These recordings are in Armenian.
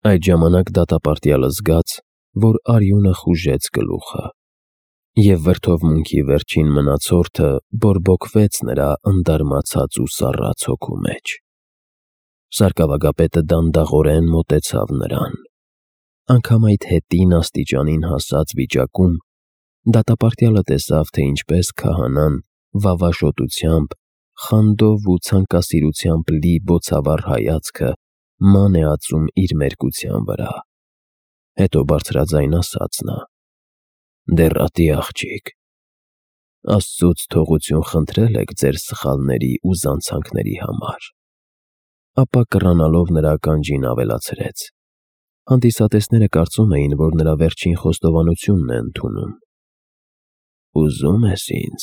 Այդ ժամանակ դատապարտյալը զգաց, որ արյունը խուժեց գլուխը, և վրդովմունքի վերջին մնացորդը բորբոքվեց նրա ընդարմացած ու սառած հոգու մեջ։ Սարկավագապետը դանդաղորեն մոտեցավ նրան։ Անգամ այդ հետին աստիճանին հասած վիճակում դատապարտյալը տեսավ, թե ինչպես քահանան վավաշոտությամբ, խանդով ու ցանկասիրությամբ լի բոցավառ հայացքը ման է ածում իր մերկության վրա։ Հետո բարձրաձայն ասաց նա. «Դեռատի աղջիկ, Աստծուց թողություն խնդրել եք ձեր սխալների ու զանցանքների համար»։ Ապա կռանալով նրա ականջին ավելացրեց. հանդիսատեսները կարծում էին, որ նրա վերջին խոստովանությունն է ընդունում։ «Ուզում ես ինձ,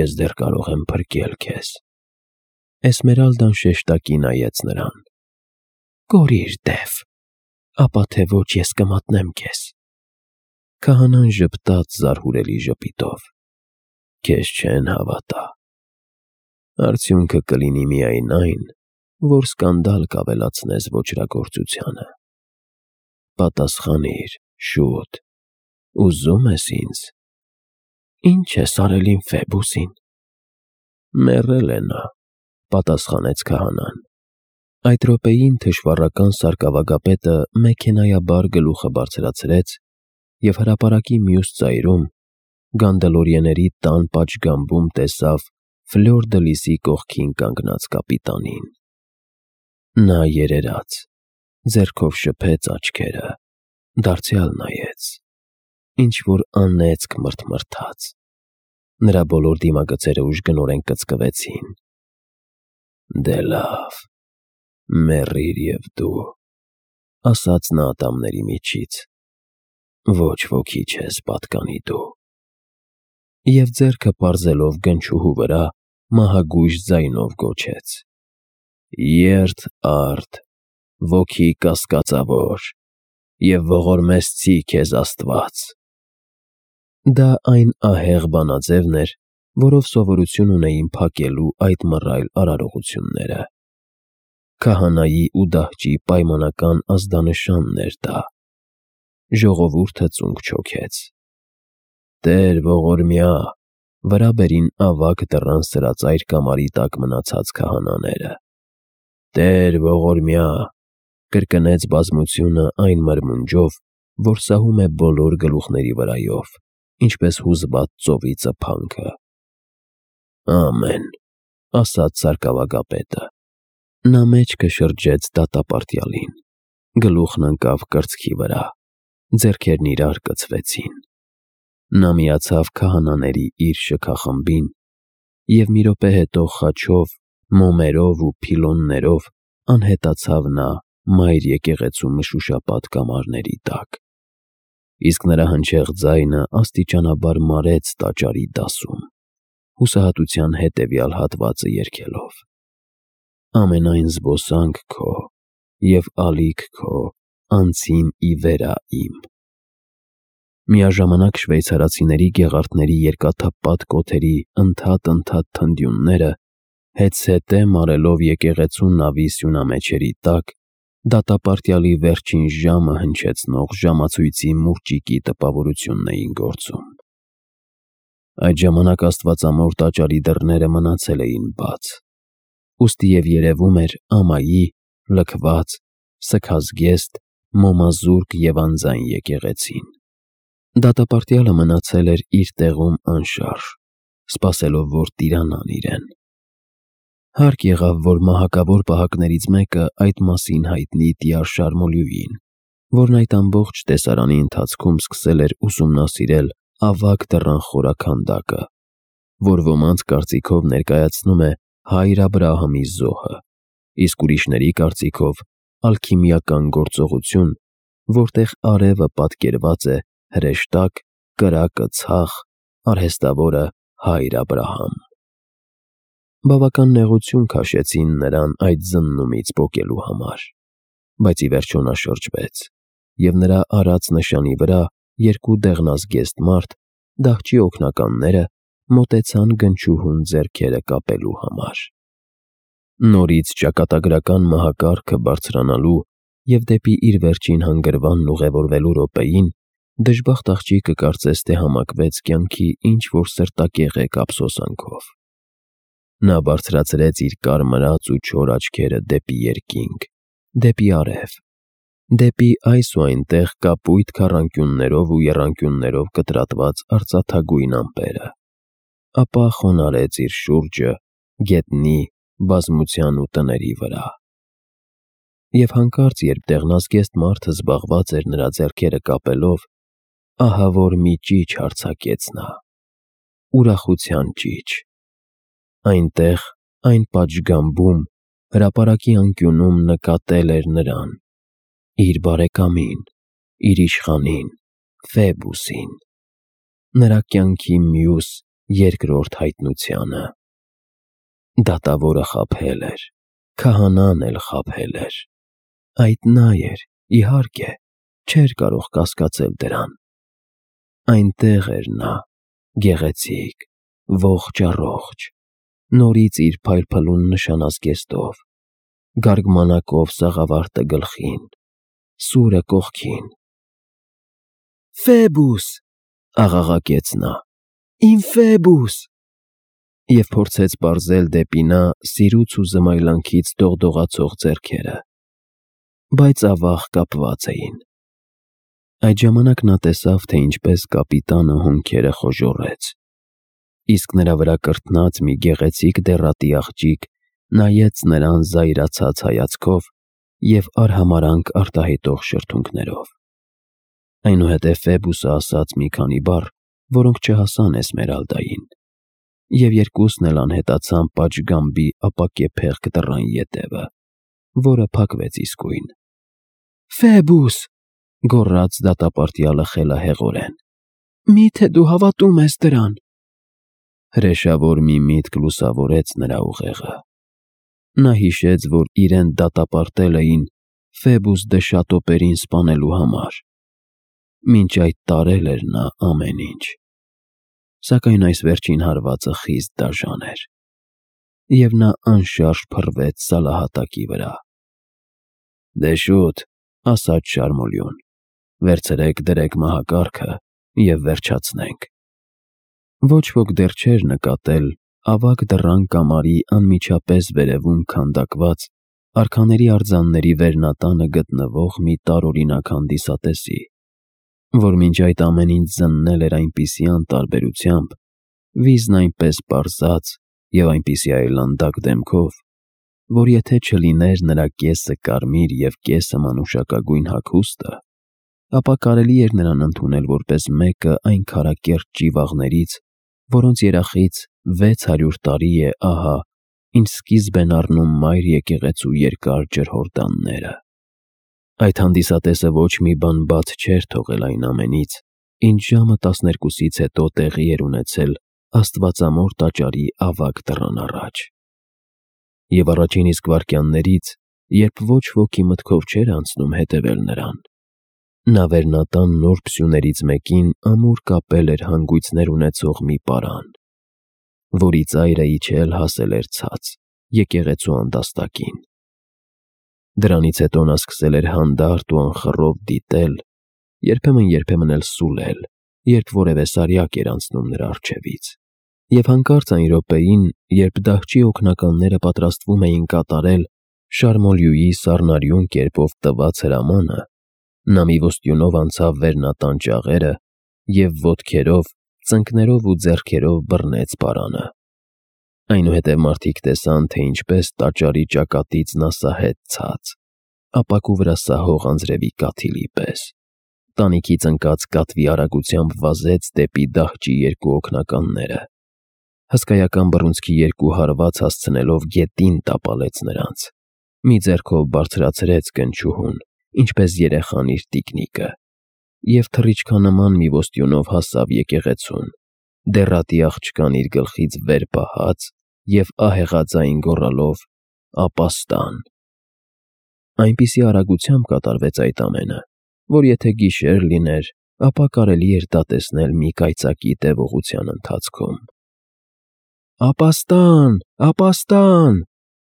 ես դեռ կարող եմ փրկել քեզ»։ Էսմերալդան շեշտակի նայեց նրան։ «Կորիր, դև, ապա թե ոչ ես կմատնեմ քեզ»։ Քահանան ժպտաց զարհուրելի ժպիտով։ «Քեզ չեն հավատա։ Արդյունքը կլինի միայն այն, որ սկանդալ կավելացնես ոճրագործությանը։ Պատասխանիր, շուտ, ուզում ես ինձ»։ «Ինչ ես արել իմ Ֆեբուսին»։ «Մեռել է նա», պատասխանեց քահանան։ Այդ րոպեին թշվառական սարկավագապետը մեքենայաբար գլուխը բարձրացրեց և հրապարակի մյուս ծայրում գանդալորիեների տան պատշգամբում տեսավ Ֆլյոր դը Լիսի կողքին կանգնած կապիտանին։ Նա երերաց, ձեռքով շփեց աչքերը, դարձյալ նայեց, ինչ-որ անեծք մրթմրթաց։ Նրա բոլոր դիմագծերը ուժգնորեն կծկվեցին։ «Դե լավ, մեռիր և դու», ասաց նա ատամների միջից, «ոչ ոքի չես պատկանի դու»։ Եվ ձեռքը պարզելով գնչուհու վրա, մահագույժ ձայնով գոչեց. «Երդ արդ, ոգի կասկածավոր, և ողորմեցցի քեզ Աստված»։ Դա այն ահեղ բանաձևն էր, որով սովորություն ունեին փակելու այդ մռայլ արարողությունները։ Քահանայի ու դահճի պայմանական ազդանշանն էր դա։ Ժողովուրդը ծունկ չոքեց։ «Տեր ողորմյա», վրա բերին ավագ դռան սրածայր կամարի տակ մնացած քահանաները։ «Տեր ողորմյա», կրկնեց բազմությունը այն մրմունջով, որ սահում է բոլոր գլուխների վրայով, ինչպես հուզված ծովի ծփանքը։ «Ամեն», ասաց սարկավագապետը։ Նա մեջքը շրջեց դատապարտյալին, գլուխն ընկավ կրծքի վրա, ձեռքերն իրար կցվեցին։ Նա միացավ քահանաների իր շքախմբին, և մի րոպե հետո խաչով, մոմերով ու փիլոններով անհետացավ նա մայր եկեղեցու մշուշապատ կամարների տակ, իսկ նրա հնչեղ ձայնը աստիճանաբար մարեց տաճարի դասում, հուսահատության հետևյալ հատվածը երգելով. «Ամենայն զբոսանք քո և ալիք քո անցին ի վերա իմ»։ Միաժամանակ շվեյցարացիների գեղարդների երկաթափատ կոթերի ընդհատ թնդյունները, հետզհետե մարելով եկեղեցու նավի սյունամեջերի տակ, դատապարտյալի վերջին ժամը հնչեցնող ժամացույցի մուրճիկի տպավորությունն էին գործում։ Այդ ժամանակ աստվածամոր տաճարի դռները մնացել էին բաց, ուստի և երևում էր ամայի, լքված, սգազգեստ, մոմազուրկ և անձայն եկեղեցին։ Դատապարտյալը մնացել էր իր տեղում անշարժ, սպասելով, որ տիրանան իրեն։ Հարկ եղավ, որ մահակավոր պահակներից մեկը այդ մասին հայտնի Տյար Շարմոլյուին, որն այդ ամբողջ տեսարանի ընթացքում սկսել էր ուսումնասիրել ավագ դռան խորաքանդակը, որ ոմանց կարծիքով ներկայացնում է Հայր Աբրահամի զոհը, իսկ ուրիշների կարծիքով ալքիմիական գործողություն, որտեղ արևը պատկերված է հրեշտակ, կրակը ցախ, արհեստավորը Հայր Աբրահամ։ Բավական նեղություն քաշեցին նրան այդ զննումից պոկելու համար, բայց ի վերջո նա շրջվեց, և նրա արած նշանի վրա երկու դեղնազգեստ մարդ, դահճի օգնականները, մոտեցան գնչուհուն ձեռքերը կապելու համար։ Նորից ճակատագրական մահակարգը բարձրանալու և դեպի իր վերջին հանգրվանն ուղևորվելու րոպեին դժբախտ աղջիկը կարծես թե համակվեց կյանքի ինչ-որ սրտակեղեկ ափսոսանքով։ Նա բարձրացրեց իր կարմրած ու չոր աչքերը դեպի երկինք, դեպի արև, դեպի այս ու այնտեղ կապույտ քառանկյուններով ու եռանկյուններով կտրատված արծաթագույն ամպերը, ապա խոնարհեց իր շուրջը գետնի, բազմության ու տների վրա։ Եվ հանկարծ, երբ դեղնազգեստ մարդը զբաղված էր նրա ձեռքերը կապելով, ահավոր մի ճիչ արձակեց նա, ուրախության ճիչ։ Այնտեղ, այն պատշգամբում, հրապարակի անկյունում նկատել էր նրան, իր բարեկամին, իր իշխանին, Ֆեբուսին, նրա կյանքի մյուս երկրորդ հայտնությանը։ Դատավորը խաբել էր, քահանան էլ խաբել էր։ Այդ նա էր, իհարկե, չէր կարող կասկածել դրան։ Այնտեղ էր նա, գեղեցիկ, ողջ, նորից իր փայլփլուն նշանազգեստով, գարգմանակով սաղավարտը գլխին, սուրը կողքին։ «Ֆեբուս», աղաղակեց նա, «իմ Ֆեբուս», և փորձեց պարզել դեպի նա սիրուց ու զմայլանքից դողդողացող ձեռքերը, բայց ավաղ կապված էին։ Այդ ժամանակ նա տեսավ, թե ինչպես կապիտանը հոնքերը խոժոռեց, իսկ նրա վրա կրթնած մի գեղեցիկ դեռատի աղջիկ նայեց նրան զայրացած հայացքով և արհամարհանք արտահայտող շրթունքներով։ Այնուհետև Ֆեբուսը ասաց մի քանի բառ, որոնք չհասան Էսմերալդային, և երկուսն էլ անհետացան պատշգամբի ապակեպեղկ դռան ետևը, որը փակվեց իսկույն։ «Ֆեբուս», գոռաց դատապարտյալը խելահեղորեն, «մի՞թե դու հավատում ես դրան»։ Հրեշավոր մի միտք լուսավորեց նրա ուղեղը։ Նա հիշեց, որ իրեն դատապարտել էին Ֆեբուս դը Շատոպերին սպանելու համար։ Մինչ այդ տարել էր նա ամեն ինչ։ Սակայն այս վերջին հարվածը խիստ դաժան էր, և նա անշարժ փռվեց սալահատակի վրա։ «Դե շուտ», ասաց շարմոլյուն, «վերցրեք, դրեք մահակարգը և վերջացնենք»։ Ոչ ոք դեռ չէր նկատել ավագ դռան կամարի անմիջապես վերևում քանդակված արքաների արձանների վերնատանը գտնվող մի տարօրինակ հանդիսատեսի, որ մինչ այդ ամեն ինչ զննել էր այնպիսի անտարբերությամբ, վիզն այնպես պարզած և այնպիսի այլանդակ դեմքով, որ եթե չլիներ նրա կեսը կարմիր և կեսը մանուշակագույն հագուստը, ապա կարելի էր նրան ընդունել որպես մեկը այն քարակերտ ճիվաղներից, որոնց երախից 600 տարի է ահա, ինչ սկիզբ են առնում մայր եկեղեցու երկար ջրհորդանները։ Այդ հանդիսատեսը ոչ մի բան բաց չէր թողել այն ամենից, ինչ ժամը 12-ից հետո տեղի էր ունեցել Աստվածամոր տաճարի ավագ դռան առաջ։ Եվ առաջին իսկ վայրկյաններից, երբ ոչ ոքի մտքով չէր անցնում հետևել նրան, նա վերնատան նուրբ սյուներից մեկին ամուր կապել էր հանգույցներ ունեցող մի պարան, որի ծայրը իջել հասել էր ցած, եկեղեցու անդաստակին։ Դրանից հետո նա սկսել էր հանդարտ ու անխռով դիտել, երբեմն էլ սուլել, երբ որևէ սարյակ էր անցնում նրա առջևից։ Եվ հանկարծ այն րոպեին, երբ դահչի օգնականները պատրաստվում էին կատարել Շարմոլյուի սառնարյուն կերպով տված հրամանը, նա մի ոստյունով անցավ վերնատան ճաղերը և ոտքերով, ծնկներով ու ձեռքերով բռնեց պարանը։ Այնուհետև մարդիկ տեսան, թե ինչպես տաճարի ճակատից նա սահեց ցած, ապակու վրա սահող անձրևի կաթիլի պես, տանիքից ընկած կատվի արագությամբ վազեց դեպի դահչի երկու օգնականները, հսկայական բռունցքի երկու հարված հասցնելով գետին տապալեց նրանց, մի ձեռքով բարձրացրեց կնճուհուն, ինչպես երեխան իր տիկնիկը, և թռիչքանման մի ոստյունով հասավ եկեղեցուն, դեռատի աղջկան իր գլխից վեր պահած և ահեղաձայն գոռալով «Ապաստան»։ Այնպիսի արագությամբ կատարվեց այդ ամենը, որ եթե գիշեր լիներ, ապա կարելի էր դա տեսնել մի կայծակի տևողության ընթացքում։ «Ապաստան, ապաստան»,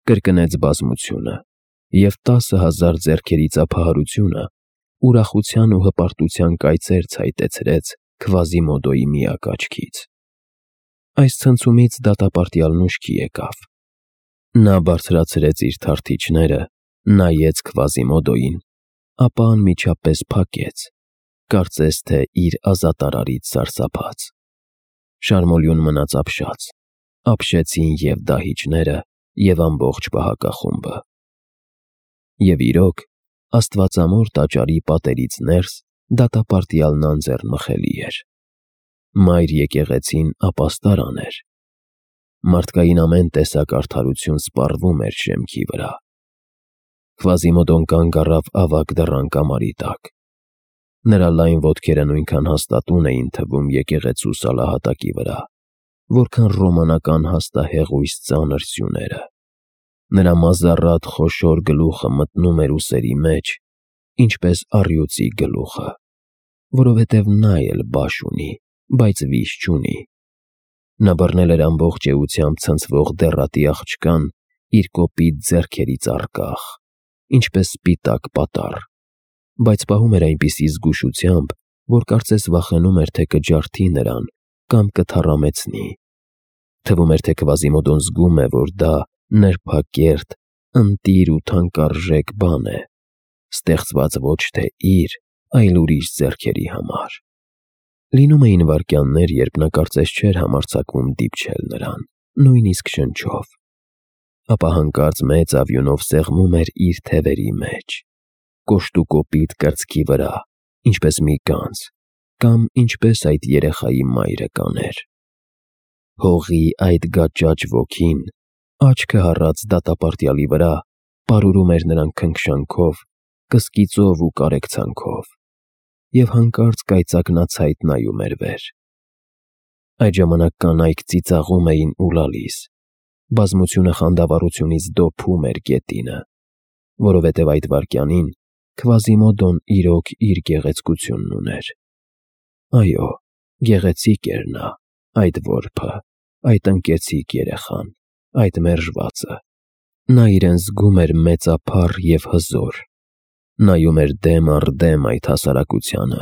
կրկնեց բազմությունը, և 10,000 ձեռքերի ծափահարությունը ուրախության ու հպարտության կայծեր ցայտեցրեց Քվազիմոդոյի միակ աչքից։ Այս ցնցումից դատապարտյալն ուշքի եկավ։ Նա բարձրացրեց իր թարթիչները, նայեց Քվազիմոդոյին, ապա անմիջապես փակեց, կարծես թե իր ազատարարից սարսափած։ Շարմոլյուն մնաց ապշած, ապշեցին և դահիճները, և ամբողջ պահակախումբը։ Եվ իրոք, Աստվածամոր տաճարի պատերից ներս դատապարտյալն անձեռնմխելի էր։ Մայր եկեղեցին ապաստարան էր։ Մարդկային ամեն տեսակ արդարություն սպառվում էր շեմքի վրա։ Քվազիմոդոն կանգ առավ ավագ դռան կամարի տակ։ Նրա լայն ոտքերը նույնքան հաստատուն էին թվում եկեղեցու սալահատակի վրա, որքան ռոմանական հաստահեղույց ծանր սյուները։ Նրա մազառատ խոշոր գլուխը մտնում էր ուսերի մեջ, ինչպես առյուծի գլուխը, որովհետև նա էլ բաշ ունի, բայց վիշ չունի։ Նա բռնել էր ամբողջ էությամբ ցնցվող դեռատի աղջկան իր կոպիտ ձեռքերից առկախ, ինչպես սպիտակ պատառ, բայց պահում էր այնպիսի զգուշությամբ, որ կարծես վախենում էր, թե կջարդի նրան կամ կթառամեցնի։ Թվում էր, թե Քվազիմոդոն զգում է, որ դա նրբակերտ, ընտիր ու թանկարժեք բան է, ստեղծված ոչ թե իր, այլ ուրիշ ձեռքերի համար։ Լինում էին վայրկյաններ, երբ նա կարծես չէր համարձակվում դիպչել նրան, նույնիսկ շնչով, ապա հանկարծ մեծ ավյունով սեղմում էր իր թևերի մեջ, կոշտուկոպիտ կրծքի վրա, ինչպես մի գանձ, կամ ինչպես այդ երեխայի մայրը կաներ։ Հողի այդ գաճաճ ոգին, աչքը հառած դատապարտյալի վրա, պարուրում էր նրան քնքշանքով, կսկիծով ու կարեկցանքով, և հանկարծ կայծակնացայտ նայում էր վեր։ Այդ ժամանակ կանայք ծիծաղում էին ու լալիս, բազմությունը խանդավառությունից դոփում էր գետինը, որովհետև այդ վայրկյանին Քվազիմոդոն իրոք իր գեղեցկությունն ուներ։ Այո, գեղեցիկ էր նա, այդ որբը, այդ ընկեցիկ երեխան, այդ մերժվածը։ Նա իրեն զգում էր մեծափառ և հզոր, նայում էր դեմ առ դեմ այդ հասարակությանը,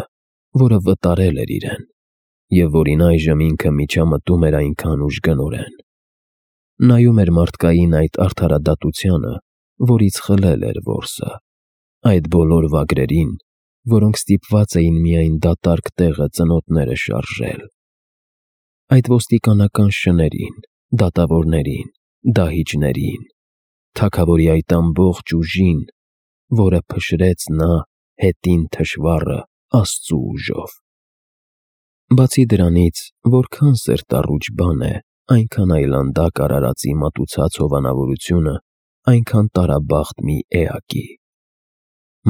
որը վտարել էր իրեն, և որին այժմ ինքը միջամտում էր այնքան ուժգնորեն։ Նայում էր մարդկային այդ արդարադատությանը, որից խլել էր որսը, այդ բոլոր վագրերին, որոնք ստիպված էին միայն դատարկ տեղը ծնոտները շարժել, այդ ոստիկանական շներին, դատավորներին, դահիճներին, թագավորի այդ ամբողջ ուժին, որը փշրեց նա հետին թշվառը Աստծու ուժով։ Բացի դրանից, որքան սերտառուչ բան է այնքան այլանդակ արարածի մատուցած հովանավորությունը այնքան տարաբախտ մի էակի։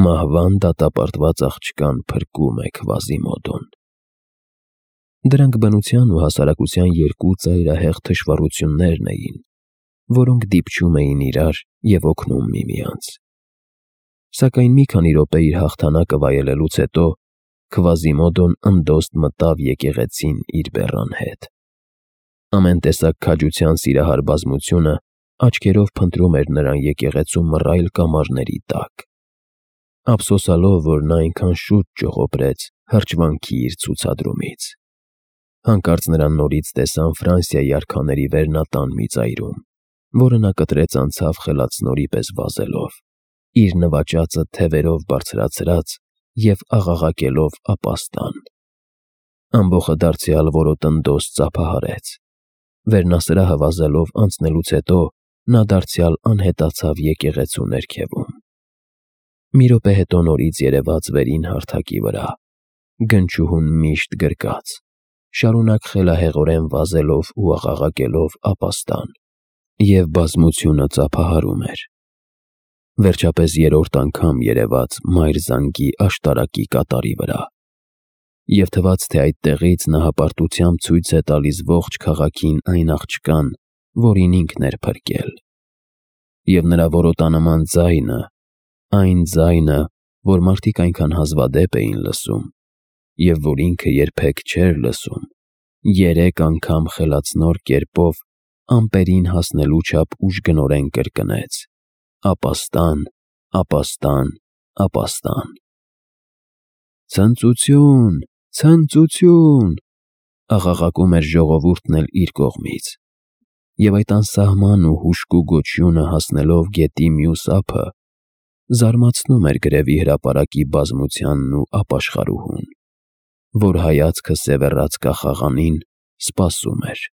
Մահվան դատապարտված աղջկան փրկում է Քվազիմոդոն։ Դրանք բնության ու հասարակության երկու ծայրահեղ թշվառություններն էին, որոնք դիպչում էին իրար և օգնում միմյանց։ Սակայն մի քանի րոպե իր հաղթանակը վայելելուց հետո Քվազիմոդոն ընդոստ մտավ եկեղեցին իր բեռան հետ։ Ամեն տեսակ քաջության սիրահար բազմությունը աչքերով փնտրում էր նրան եկեղեցու մռայլ կամարների տակ, ափսոսալով, որ նա այնքան շուտ ճողոպրեց հրճվանքի իր ցուցադրումից։ Հանկարծ նրան նորից տեսան Ֆրանսիայի արքաների վերնատան մի ծայրում, որը նա կտրեց անցավ խելացնորի պես վազելով, իր նվաճածը թևերով բարձրացրած և աղաղակելով ապաստան։ Ամբոխը դարձյալ որոտնդոս ծափահարեց։ Վերնասրահը վազելով անցնելուց հետո նա դարձյալ անհետացավ եկեղեցու ներքևում։ Մի րոպե հետո նորից երևաց վերին հարթակի վրա, գնչուհուն միշտ գրկած, շարունակ խելահեղորեն վազելով ու աղաղակելով ապաստան, և բազմությունը ծափահարում էր։ Վերջապես երրորդ անգամ երևաց մայր զանգի աշտարակի կատարի վրա, և թվաց, թե այդտեղից նա հպարտությամբ ցույց է տալիս ողջ քաղաքին այն աղջկան, որին ինքն էր փրկել։ Եվ նրա որոտանման ձայնը, այն ձայնը, որ մարդիկ այնքան հազվադեպ էին լսում, և որ ինքը երբեք չէր լսում, 3 անգամ խելացնոր կերպով ամպերին հասնելու չափ ուժգնորեն կրկնեց. ապաստան, ապաստան, ապաստան։ «Ցնծություն, ցնծություն», աղաղակում էր ժողովուրդն էլ իր կողմից, և այդ անսահման ու հուժկու գոչյունը հասնելով գետի մյուս ափը, զարմացնում էր գրևի հրապարակի բազմությանն ու ապաշխարուհուն, որ հայացքը սևեռած կախաղանին սպասում էր։